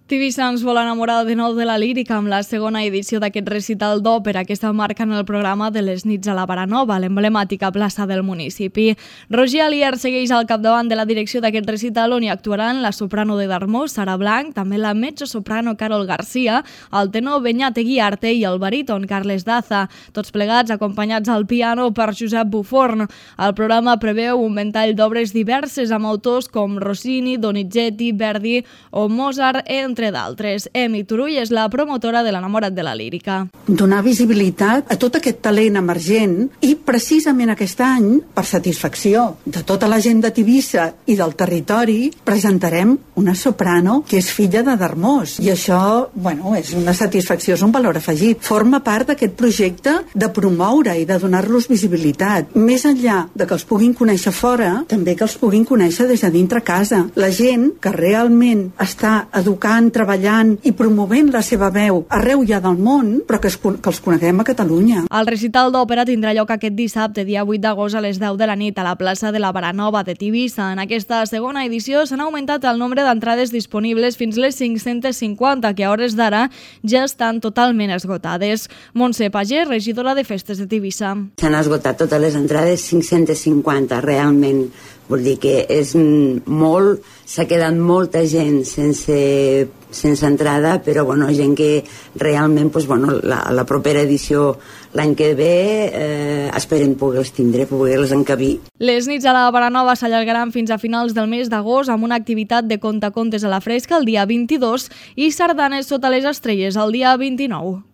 Tivissa ens vol enamorar de nou de la lírica amb la segona edició d'aquest recital d'òpera que està marcant el programa de les nits a la Baranova, l'emblemàtica plaça del municipi. Roger Alier segueix al capdavant de la direcció d'aquest recital on hi actuaran la soprano de Darmós, Sara Blanc, també la mezzosoprano Carol Garcia, el tenor Beñat Eguiarte i el baríton Carles Daza, tots plegats acompanyats al piano per Josep Buforn. El programa preveu un ventall d'obres diverses amb autors com Rossini, Donizetti, Verdi o Mozart, entre d'altres. Emi Turull és la promotora de l'Enamorat de la Lírica. Donar visibilitat a tot aquest talent emergent i precisament aquest any, per satisfacció de tota la gent de Tivissa i del territori, presentarem una soprano que és filla de Darmós. I això, és una satisfacció, és un valor afegit. Forma part d'aquest projecte de promoure i de donar-los visibilitat. Més enllà de que els puguin conèixer fora, també que els puguin conèixer des de dintre casa. La gent que realment està educant, treballant i promovent la seva veu arreu ja del món, però que els coneguem a Catalunya. El recital d'òpera tindrà lloc aquest dissabte, dia 8 d'agost a les 10 de la nit a la plaça de la Baranova de Tivissa. En aquesta segona edició s'han augmentat el nombre d'entrades disponibles fins les 550, que a hores d'ara ja estan totalment esgotades. Montse Pagès, regidora de Festes de Tivissa. S'han esgotat totes les entrades, 550, realment. Vol dir que és molt, s'ha quedat molta gent sense entrada, però gent que realment la propera edició l'any que ve esperem poder-les tindre, poder-les encabir. Les nits a la Baranova s'allargaran fins a finals del mes d'agost amb una activitat de contacontes a la fresca el dia 22 i sardanes sota les estrelles el dia 29.